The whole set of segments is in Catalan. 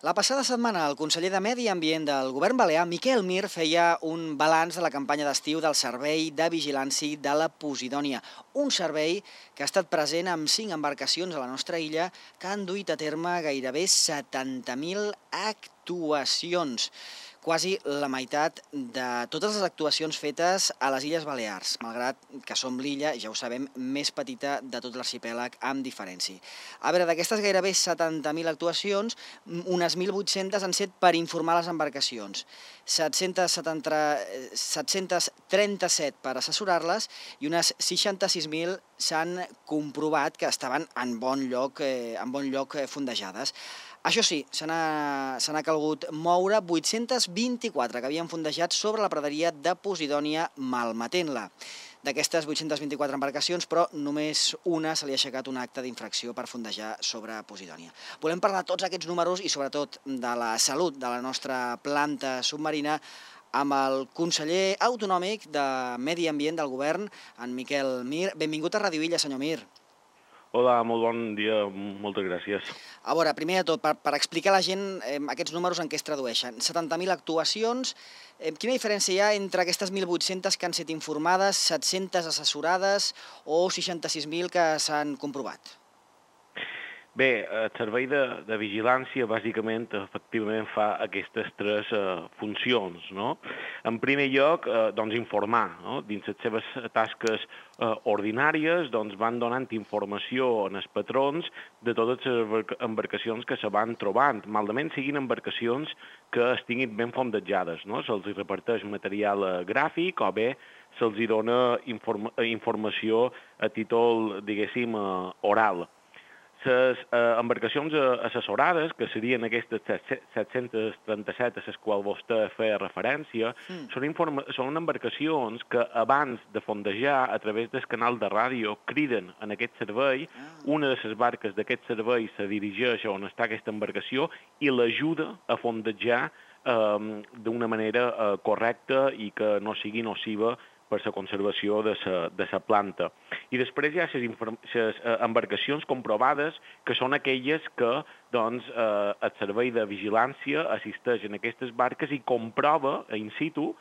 La passada setmana, el conseller de Medi Ambient del govern balear, Miquel Mir, feia un balanç de la campanya d'estiu del Servei de Vigilància de la Posidònia, un servei que ha estat present amb 5 embarcacions a la nostra illa que han duit a terme gairebé 70.000 actuacions, quasi la meitat de totes les actuacions fetes a les Illes Balears, malgrat que som l'illa, ja ho sabem, més petita de tot l'arxipèlag amb diferència. A veure, d'aquestes gairebé 70.000 actuacions, unes 1.800 han set per informar les embarcacions, 737 per assessorar-les i unes 66.000 s'han comprovat que estaven en bon lloc fondejades. Això sí, se n'ha calgut moure 824 que havien fondejat sobre la praderia de Posidònia malmetent-la. D'aquestes 824 embarcacions, però només una se li ha aixecat un acte d'infracció per fondejar sobre Posidònia. Volem parlar de tots aquests números i sobretot de la salut de la nostra planta submarina amb el conseller autonòmic de Medi Ambient del govern, en Miquel Mir. Benvingut a Radio Illa, senyor Mir. Hola, molt bon dia, moltes gràcies. A veure, primer de tot, per explicar a la gent aquests números en què es tradueixen. 70.000 actuacions, quina diferència hi ha entre aquestes 1.800 que han estat informades, 700 assessorades o 66.000 que s'han comprovat? Bé, el servei de vigilància bàsicament, efectivament, fa aquestes tres funcions, no? En primer lloc, doncs, informar, no? Dins les seves tasques ordinàries, doncs, van donant informació als patrons de totes les embarcacions que se van trobant, malament siguin embarcacions que estiguin ben fondejades, no? Se'ls reparteix material gràfic o bé se'ls dona informació a títol, diguéssim, oral. Les embarcacions assessorades, que serien aquestes 737 a les quals vostè feia referència, són embarcacions que abans de fondejar, a través del canal de ràdio, criden en aquest servei. Una de les barques d'aquest servei se dirigeix a on està aquesta embarcació i l'ajuda a fondejar d'una manera correcta i que no sigui nociva per la conservació de la planta. I després hi ha les embarcacions comprovades, que són aquelles que doncs, el servei de vigilància assisteix en aquestes barques i comprova in situ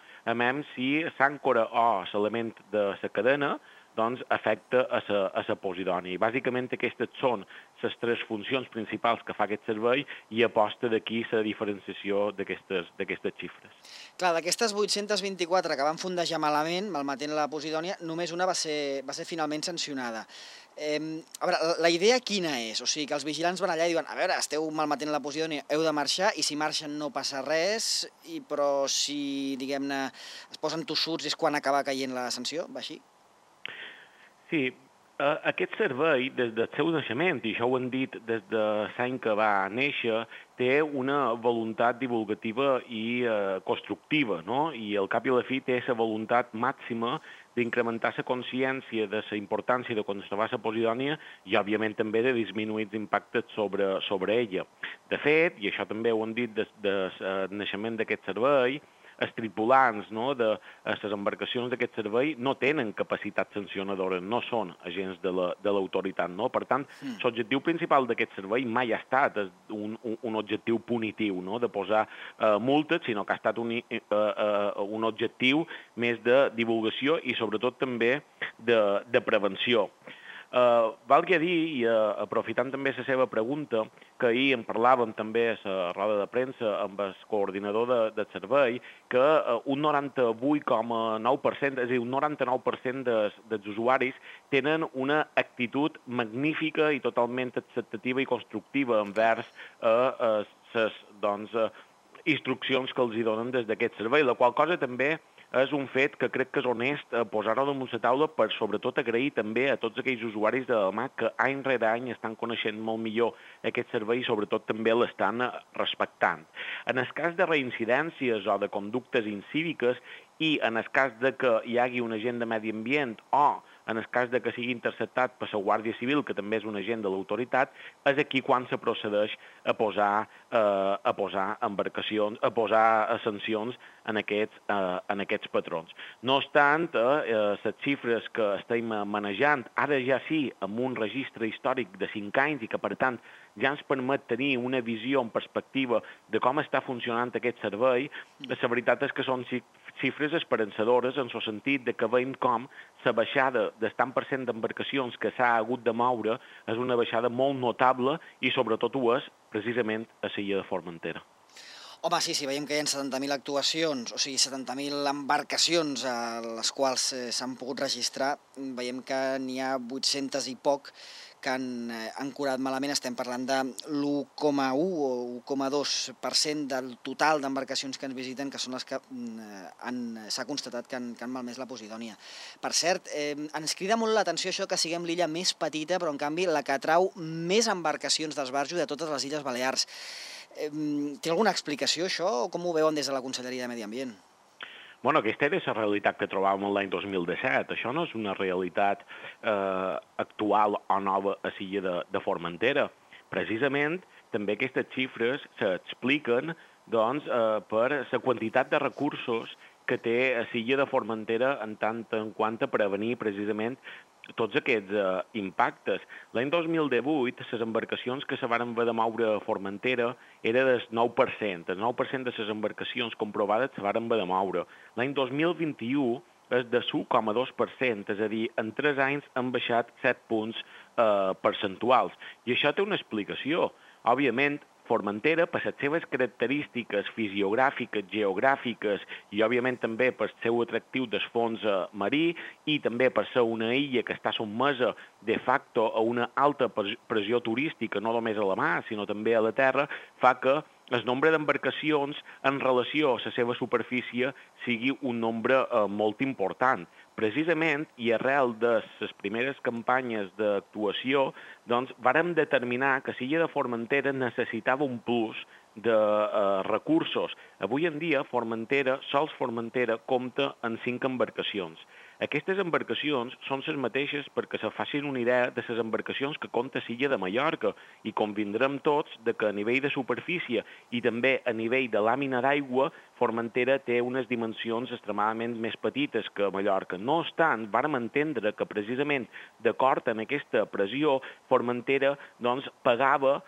si l'àncora o l'element de la cadena doncs, afecta a la Posidònia. I bàsicament aquestes són les tres funcions principals que fa aquest servei i aposta d'aquí la diferenciació d'aquestes xifres. Clar, d'aquestes 824 que van fondejar malament, malmetent la Posidònia, només una va ser finalment sancionada. A veure, la idea quina és? O sigui, que els vigilants van allà i diuen, a veure, esteu malmetent la Posidònia, heu de marxar, i si marxen no passa res, però si, diguem-ne, es posen tossuts és quan acaba caient la sanció, va així? Sí, aquest servei, des del seu naixement, i això ho han dit des de l'any que va néixer, té una voluntat divulgativa i constructiva, no? I al cap i a la fi té la voluntat màxima d'incrementar la consciència de la importància de conservar la Posidònia i, òbviament, també de disminuir els impactes sobre ella. De fet, i això també ho han dit des del naixement d'aquest servei, els tripulants de les embarcacions d'aquest servei no tenen capacitat sancionadora, no són agents de l'autoritat. Per tant, l'objectiu principal d'aquest servei mai ha estat un objectiu punitiu, de posar multes, sinó que ha estat un objectiu més de divulgació i sobretot també de prevenció. Valgui a dir, i aprofitant també la seva pregunta, que ahir en parlàvem també a la roda de premsa amb el coordinador del servei, que un 98,9%, és a dir, un 99% dels usuaris tenen una actitud magnífica i totalment acceptativa i constructiva envers les instruccions que els donen des d'aquest servei, la qual cosa també és un fet que crec que és honest posar-ho damunt la taula per sobretot agrair també a tots aquells usuaris de la mà que any rere any estan coneixent molt millor aquest servei i sobretot també l'estan respectant. En el cas de reincidències o de conductes incíviques i en el cas de que hi hagi un agent de medi ambient o en el cas de que sigui interceptat per la Guàrdia Civil, que també és un agent de l'autoritat, és aquí quan se procedeix a posar embarcacions, a posar sancions en aquests patrons. No obstant, les xifres que estem manejant, ara ja sí, amb un registre històric de 5 anys i que, per tant, ja ens permet tenir una visió en perspectiva de com està funcionant aquest servei, la veritat és que són xifres esperançadores en el sentit de que veiem com la baixada del tant per cent d'embarcacions que s'ha hagut de moure és una baixada molt notable i sobretot ho és precisament a l'illa de Formentera. Home, sí, veiem que hi ha 70.000 actuacions, o sigui, 70.000 embarcacions a les quals s'han pogut registrar. Veiem que n'hi ha 800 i poc que han ancorat malament. Estem parlant de l'1,1 o 1,2% del total d'embarcacions que ens visiten, que són les que s'ha constatat que han malmès la Posidònia. Per cert, ens crida molt l'atenció això que siguem l'illa més petita, però en canvi la que atrau més embarcacions d'esbarjo de totes les Illes Balears. Té alguna explicació, això, o com ho veuen des de la Conselleria de Medi Ambient? Bueno, aquesta era la realitat que trobàvem l'any 2017. Això no és una realitat actual o nova a l'illa de Formentera. Precisament, també aquestes xifres s'expliquen per la quantitat de recursos que té a l'illa de Formentera en tant en quant a prevenir precisament tots aquests impactes. L'any 2018, les embarcacions que se van haver de moure a Formentera era del 9%. El 9% de les embarcacions comprovades se van haver de moure. L'any 2021 és de 1,2%, és a dir, en 3 anys han baixat 7 punts percentuals. I això té una explicació. Òbviament, Formentera, per les seves característiques fisiogràfiques, geogràfiques i, òbviament, també per el seu atractiu del fons marí i també per ser una illa que està sotmesa de facto a una alta pressió turística, no només a la mar, sinó també a la terra, fa que el nombre d'embarcacions en relació a la seva superfície sigui un nombre molt important. Precisament, i arrel de les primeres campanyes d'actuació, vàrem determinar que l'illa de Formentera necessitava un plus de recursos. Avui en dia, sols Formentera compta amb 5 embarcacions. Aquestes embarcacions són les mateixes perquè se facin una idea de les embarcacions que compta l'illa de Mallorca i convindrem tots que a nivell de superfície i també a nivell de làmina d'aigua Formentera té unes dimensions extremadament més petites que Mallorca. No obstant, vàrem entendre que precisament d'acord amb aquesta pressió Formentera pagava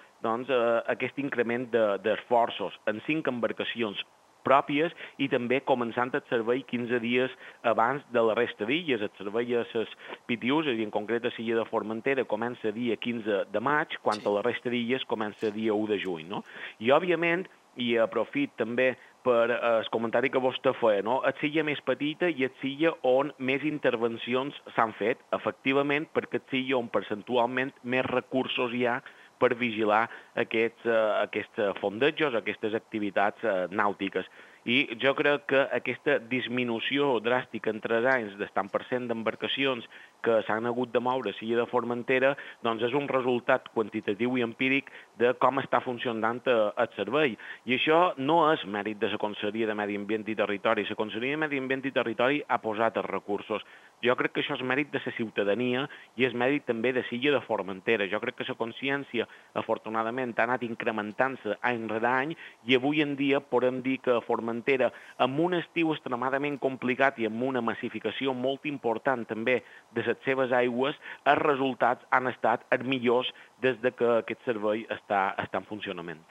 aquest increment d'esforços en 5 embarcacions pròpies i també començant el servei 15 dies abans de la resta d'illes. El servei a les PTUs, és a dir, en concret a l'illa de Formentera, comença dia 15 de maig, quan a la resta d'illes comença dia 1 de juny. No? I, òbviament, i aprofit també per el comentari que vostè feia, no? És l'illa més petita i és l'illa on més intervencions s'han fet, efectivament, perquè és l'illa on percentualment més recursos hi ha per vigilar aquests fondejos, aquestes activitats nàutiques. I jo crec que aquesta disminució dràstica en 3 anys del tant per cent d'embarcacions que s'han hagut de moure a l'illa de Formentera és un resultat quantitatiu i empíric de com està funcionant el servei. I això no és mèrit de la Conselleria de Medi Ambient i Territori. La Conselleria de Medi Ambient i Territori ha posat els recursos. Jo crec que això és mèrit de la ciutadania i és mèrit també de l'illa de Formentera. Jo crec que la consciència, afortunadament, ha anat incrementant-se any rere any i avui en dia podem dir que Formentera, amb un estiu extremadament complicat i amb una massificació molt important també de les seves aigües, els resultats han estat els millors des que aquest servei està en funcionament.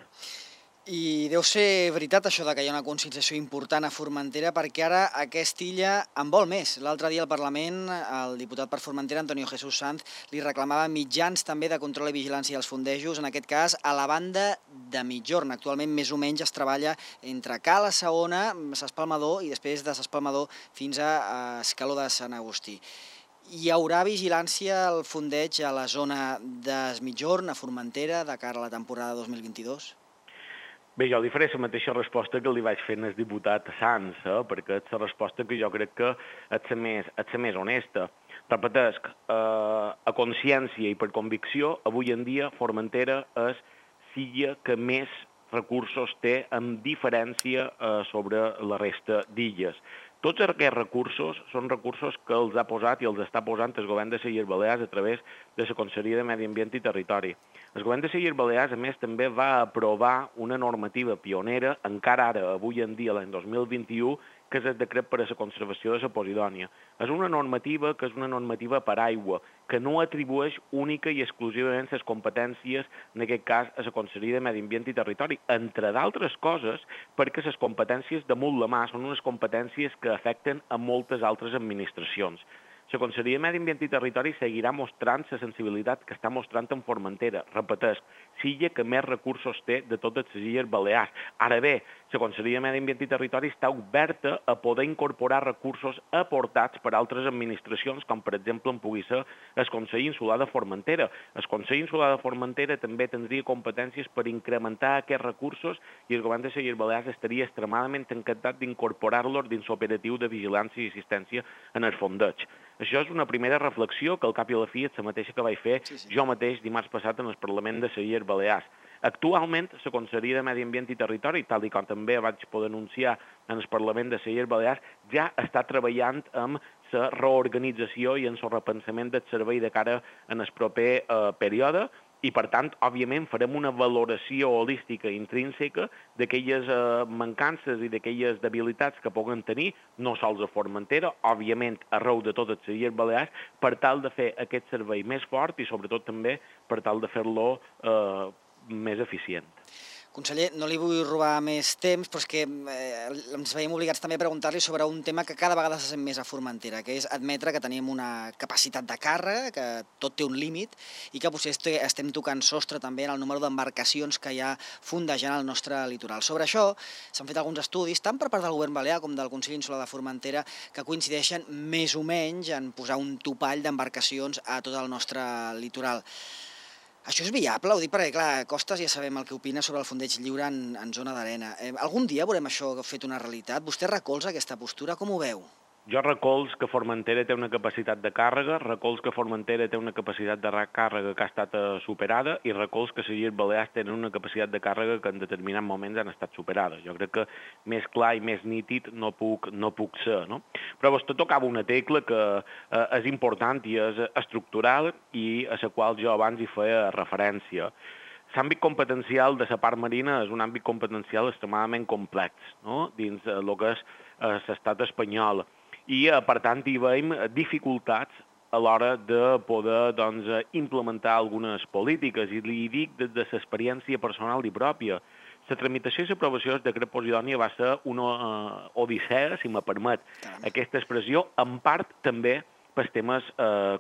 I deu ser veritat això que hi ha una conscienciació important a Formentera, perquè ara aquesta illa en vol més. L'altre dia al Parlament, el diputat per Formentera, Antonio Jesús Sanz, li reclamava mitjans també de control i vigilància als fondejos, en aquest cas a la banda de Migjorn. Actualment més o menys es treballa entre Cala Saona, s'Espalmador i després de s'Espalmador fins a Escaló de Sant Agustí. Hi haurà vigilància al fondeig a la zona de Migjorn, a Formentera, de cara a la temporada 2022? Bé, jo li faré la mateixa resposta que li vaig fer al diputat Sanz, perquè és la resposta que jo crec que és la més honesta. Repetesc, a consciència i per convicció, avui en dia Formentera és l'illa que més recursos té en diferència sobre la resta d'illes. Tots aquests recursos són recursos que els ha posat i els està posant el govern de les Illes Balears a través de la Conselleria de Medi Ambient i Territori. El govern de les Illes Balears, a més, també va aprovar una normativa pionera, encara ara, avui en dia, l'any 2021, que és el decret per a la conservació de la Posidònia. És una normativa que és una normativa per aigua, que no atribueix única i exclusivament les competències, en aquest cas, a la Conselleria de Medi Ambient i Territori, entre d'altres coses, perquè les competències damunt la mà són unes competències que afecten a moltes altres administracions. La Conselleria de Medi Ambient i Territori seguirà mostrant la sensibilitat que està mostrant en Formentera. Repeteix, l'illa que més recursos té de totes les illes Balears. Ara bé, la Conselleria de Medi Ambient i Territori està oberta a poder incorporar recursos aportats per altres administracions, com per exemple en pugui ser el Consell Insular de Formentera. El Consell Insular de Formentera també tindria competències per incrementar aquests recursos i el govern de les Illes Balears estaria extremadament encantat d'incorporar-los dins l'operatiu de vigilància i assistència en el fondeig. Això és una primera reflexió que al cap i a la fi és la mateixa que vaig fer jo mateix dimarts passat en el Parlament de les Illes Balears. Actualment, la Conselleria de Medi Ambient i Territori, tal com també vaig poder anunciar en el Parlament de les Illes Balears, ja està treballant amb la reorganització i en el repensament del servei de cara en el proper període, i, per tant, òbviament, farem una valoració holística intrínseca d'aquelles mancances i d'aquelles debilitats que puguen tenir, no sols a Formentera, òbviament, arreu de totes les Illes Balears, per tal de fer aquest servei més fort i, sobretot, també per tal de fer-lo més eficient. Conseller, no li vull robar més temps, però és que ens veiem obligats també a preguntar-li sobre un tema que cada vegada se sent més a Formentera, que és admetre que tenim una capacitat de càrrega, que tot té un límit, i que potser estem tocant sostre també en el número d'embarcacions que hi ha fondejant el nostre litoral. Sobre això s'han fet alguns estudis, tant per part del govern balear com del Consell Insular de Formentera, que coincideixen més o menys en posar un topall d'embarcacions a tot el nostre litoral. Això és viable? Ho dic perquè, clar, Costes ja sabem el que opina sobre el fondeig lliure en zona d'arena. Algun dia veurem això fet una realitat? Vostè recolza aquesta postura? Com ho veu? Jo recolz que Formentera té una capacitat de càrrega, recolz que Formentera té una capacitat de càrrega que ha estat superada i recolz que les Illes Balears tenen una capacitat de càrrega que en determinats moments han estat superades. Jo crec que més clar i més nítid no puc ser, no? Però vostè tocava una tecla que és important i és estructural i a la qual jo abans hi feia referència. L'àmbit competencial de la part marina és un àmbit competencial extremadament complex, no? Dins el que és l'estat espanyol. I, per tant, hi veiem dificultats a l'hora de poder implementar algunes polítiques, i li dic des de l'experiència personal i pròpia. La tramitació i l'aprovació del decret Posidònia va ser una odissea, si me permet aquesta expressió, en part també pels temes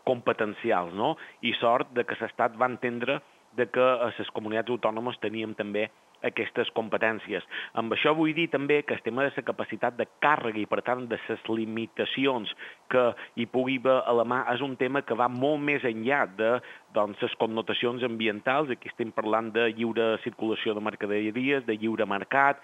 competencials, no? I sort de que l'Estat va entendre que les comunitats autònomes teníem també aquestes competències. Amb això vull dir també que el tema de la capacitat de càrrega i, per tant, de les limitacions que hi pugui haver a la mà és un tema que va molt més enllà de les connotacions ambientals. Aquí estem parlant de lliure circulació de mercaderies, de lliure mercat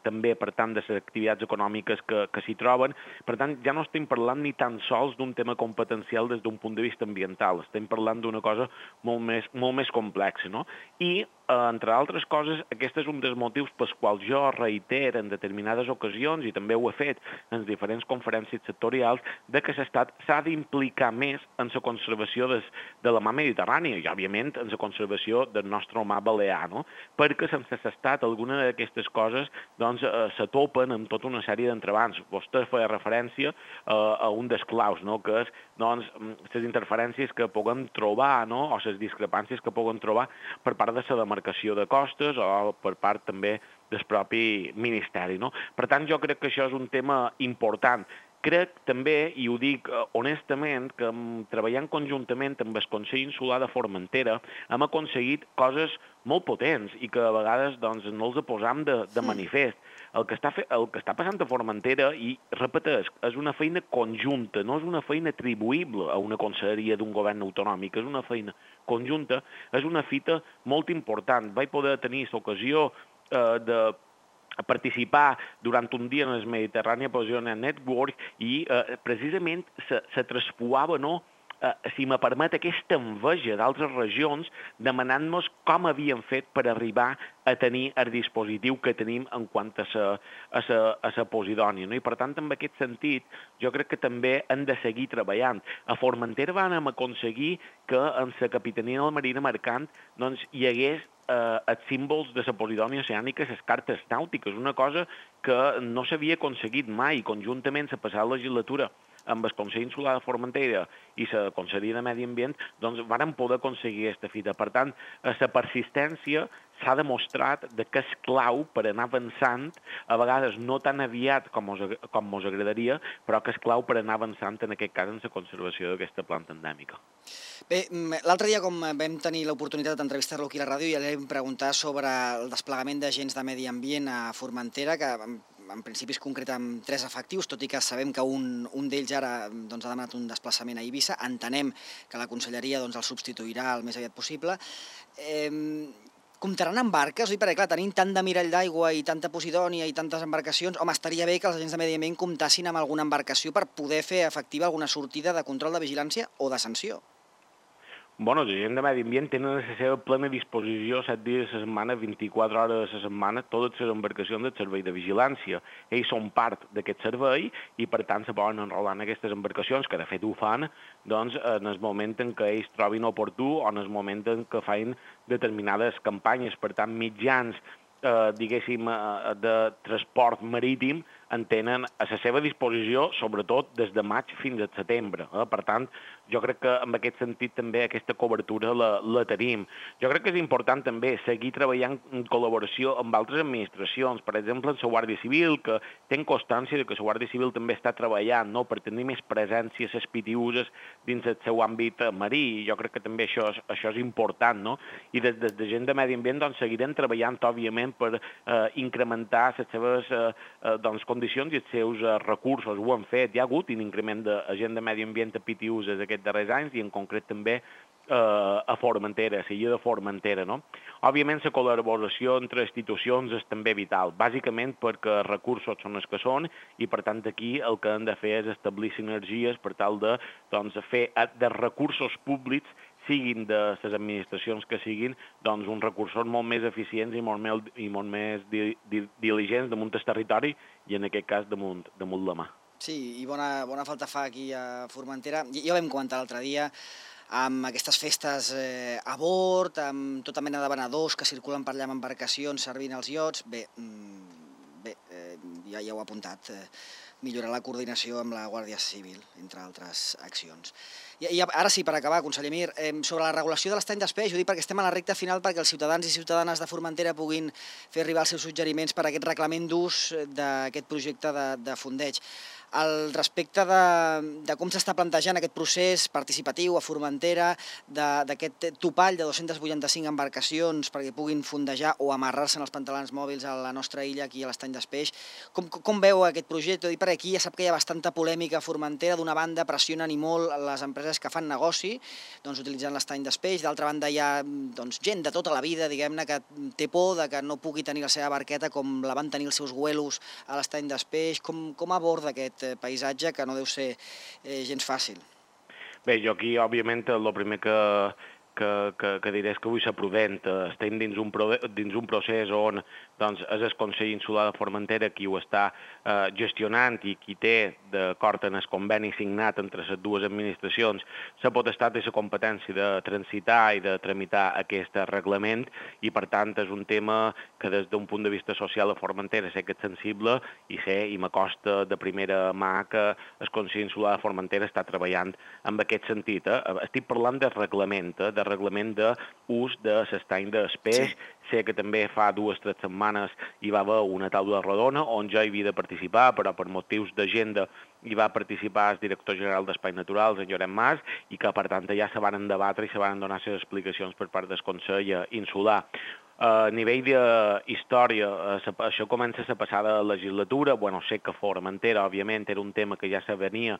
també, per tant, de les activitats econòmiques que s'hi troben. Per tant, ja no estem parlant ni tan sols d'un tema competencial des d'un punt de vista ambiental. Estem parlant d'una cosa molt més complexa, no? I, entre altres coses, aquest és un dels motius pels quals jo reitero en determinades ocasions, i també ho he fet en diferents conferències sectorials, de que l'Estat s'ha d'implicar més en la conservació de la mar Mediterrània i, òbviament, en la conservació del nostre mar balear, no? Perquè sense l'Estat alguna d'aquestes coses se topen amb tota una sèrie d'entrebancs. Vostè feia referència a un dels claus, no? Que és les interferències que puguem trobar, no? O les discrepàncies que puguem trobar per part de la demarcació de costes o per part també del propi Ministeri, no? Per tant, jo crec que això és un tema important. Crec també, i ho dic honestament, que treballant conjuntament amb el Consell Insular de Formentera hem aconseguit coses molt potents i que a vegades no els posam de manifest. El que està passant a Formentera, i repeteix, és una feina conjunta, no és una feina atribuïble a una conselleria d'un govern autonòmic, és una feina conjunta, és una fita molt important. Vaig poder tenir l'ocasió de participar durant un dia en el Mediterrània Position Network i precisament se traspuava, no?, si me permet, aquesta enveja d'altres regions demanant-nos com havíem fet per arribar a tenir el dispositiu que tenim en quant a la Posidònia. I, per tant, en aquest sentit, jo crec que també hem de seguir treballant. A Formentera vam aconseguir que en la Capitania de la Marina Mercant hi hagués els símbols de la Posidònia oceànica, les cartes nàutiques, una cosa que no s'havia aconseguit mai, conjuntament la passada legislatura amb el Consell Insular de Formentera i la Conselleria de Medi Ambient, doncs varen poder aconseguir aquesta fita. Per tant, la persistència s'ha demostrat que és clau per anar avançant, a vegades no tan aviat com ens agradaria, però que és clau per anar avançant, en aquest cas, en la conservació d'aquesta planta endèmica. Bé, l'altre dia, com vam tenir l'oportunitat d'entrevistar-lo aquí a la ràdio, ja li vam preguntar sobre el desplegament d'agents de medi ambient a Formentera, que en principi es concreta amb 3 efectius, tot i que sabem que un d'ells ara ha demanat un desplaçament a Eivissa. Entenem que la conselleria el substituirà el més aviat possible. Comptaran amb barques? Perquè, clar, tenint tant de mirall d'aigua i tanta Posidònia i tantes embarcacions, home, estaria bé que els agents de medi ambient comptassin amb alguna embarcació per poder fer efectiva alguna sortida de control de vigilància o de sanció. Els agents de medi ambient tenen a la seva plena disposició 7 dies a la setmana, 24 hores a la setmana, totes les embarcacions del servei de vigilància. Ells són part d'aquest servei i, per tant, se poden enrolar en aquestes embarcacions, que de fet ho fan, doncs, en el moment en què ells trobin oportú o en el moment en què fan determinades campanyes. Per tant, mitjans, diguéssim, de transport marítim en tenen a la seva disposició, sobretot des de maig fins a setembre. Per tant, jo crec que en aquest sentit també aquesta cobertura la tenim. Jo crec que és important també seguir treballant en col·laboració amb altres administracions, per exemple, amb la Guàrdia Civil, que ten constància que la Guàrdia Civil també està treballant per tenir més presència a les PTUs dins el seu àmbit marí. Jo crec que també això és important, no? I des de gent de medi ambient seguirem treballant, òbviament, per incrementar les seves condicions i els seus recursos. Ho han fet. Hi ha hagut un increment d'agent de medi ambient a PTUs aquests darrers anys i en concret també a Formentera, a l'illa de Formentera, no? Òbviament, la col·laboració entre institucions és també vital, bàsicament perquè els recursos són els que són i, per tant, aquí el que hem de fer és establir sinergies per tal de fer de recursos públics, siguin de les administracions que siguin, doncs uns recursos molt més eficients i molt més diligents damunt el territori i, en aquest cas, damunt la mà. Sí, i bona falta fa aquí a Formentera. Ja ho vam comentar l'altre dia, amb aquestes festes a bord, amb tota mena de venedors que circulen per allà amb embarcacions servint els iots. Bé, ja ho he apuntat, millorar la coordinació amb la Guàrdia Civil, entre altres accions. I ara sí, per acabar, conseller Mir, sobre la regulació de l'estany d'espeix, ho dic perquè estem a la recta final perquè els ciutadans i ciutadanes de Formentera puguin fer arribar els seus suggeriments per a aquest reglament d'ús d'aquest projecte de fondeig. Al respecte de com s'està plantejant aquest procés participatiu a Formentera, d'aquest topall de 285 embarcacions perquè puguin fondejar o amarrar-se en els pantalons mòbils a la nostra illa, aquí a l'estany d'Espeix, com veu aquest projecte? I per aquí ja sap que hi ha bastanta polèmica a Formentera. D'una banda pressionen i molt les empreses que fan negoci utilitzant l'estany d'Espeix, d'altra banda hi ha gent de tota la vida, diguem-ne, que té por que no pugui tenir la seva barqueta com la van tenir els seus güelos a l'estany d'Espeix. Com aborda aquest paisatge que no deu ser gens fàcil? Bé, jo aquí, òbviament, el primer que diré és que vull ser prudent. Estem dins un procés on és el Consell Insular de Formentera qui ho està gestionant i qui té, d'acord amb el conveni signat entre les dues administracions, la potestat i la competència de transitar i de tramitar aquest reglament i, per tant, és un tema que des d'un punt de vista social a Formentera sé que és sensible i m'acosta de primera mà que el Consell Insular de Formentera està treballant en aquest sentit. Estic parlant de reglament d'ús de l'estany d'espeix. Sé que també fa 2 o 3 setmanes hi va haver una taula rodona on jo hi havia de participar, però per motius d'agenda hi va participar el director general d'Espais Naturals, en Llorenç Mas, i que, per tant, ja se van debatre i se van donar les explicacions per part del Consell Insular. A nivell d'història, això comença la passada legislatura. Sé que Formentera, òbviament, era un tema que ja se venia,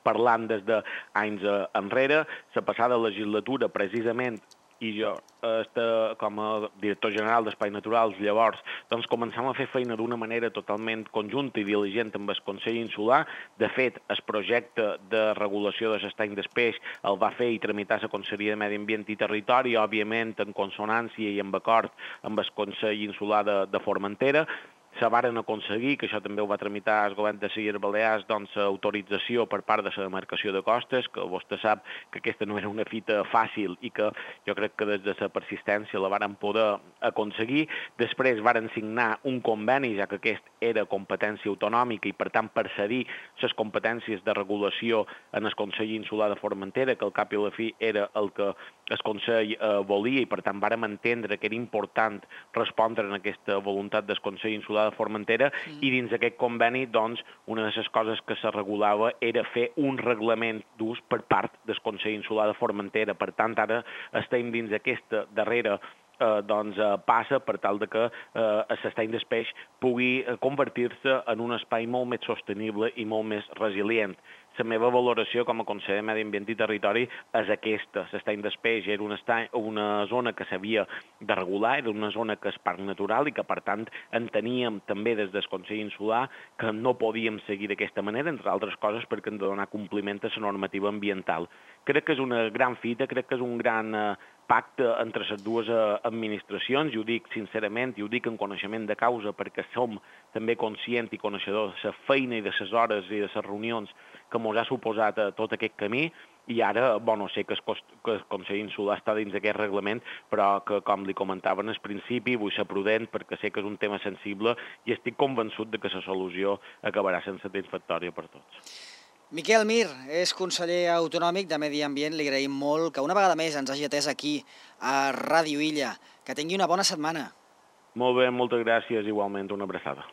parlant des d'anys enrere. La passada legislatura, precisament, i jo, com a director general d'Espais Naturals, llavors, començam a fer feina d'una manera totalment conjunta i diligent amb el Consell Insular. De fet, el projecte de regulació de l'estany d'espeix el va fer i tramitar la Conselleria de Medi Ambient i Territori, òbviament en consonància i en acord amb el Consell Insular de Formentera. se varen aconseguir, que això també ho va tramitar el govern de les Illes Balears, doncs autorització per part de la demarcació de costes, que vostè sap que aquesta no era una fita fàcil i que jo crec que des de la persistència la varen poder aconseguir. Després varen signar un conveni, ja que aquest era competència autonòmica i per tant per cedir les competències de regulació en el Consell Insular de Formentera, que al cap i a la fi era el que el Consell volia i per tant vàrem entendre que era important respondre en aquesta voluntat del Consell Insular de Formentera i dins d'aquest conveni, doncs, una de les coses que se regulava era fer un reglament d'ús per part del Consell Insular de Formentera. Per tant, ara estem dins d'aquesta darrera passa per tal de que l'estany del peix pugui convertir-se en un espai molt més sostenible i molt més resilient. La meva valoració com a conseller de Medi Ambient i Territori és aquesta. L'estany del peix era una zona que s'havia de regular, era una zona que és parc natural i que, per tant, enteníem també des del Consell Insular que no podíem seguir d'aquesta manera, entre altres coses perquè hem de donar compliment a la normativa ambiental. Crec que és una gran fita, crec que és un gran pacte entre les dues administracions, i ho dic sincerament, i ho dic en coneixement de causa, perquè som també conscients i coneixedors de la feina i de les hores i de les reunions que ens ha suposat tot aquest camí, i ara, bueno, sé que el Consell Insular està dins d'aquest reglament, però que, com li comentava en el principi, vull ser prudent perquè sé que és un tema sensible i estic convençut de que la solució acabarà sent satisfactòria per tots. Miquel Mir és conseller autonòmic de Medi Ambient. Li agraïm molt que una vegada més ens hagi atès aquí a Ràdio Illa. Que tingui una bona setmana. Molt bé, moltes gràcies, igualment, una abraçada.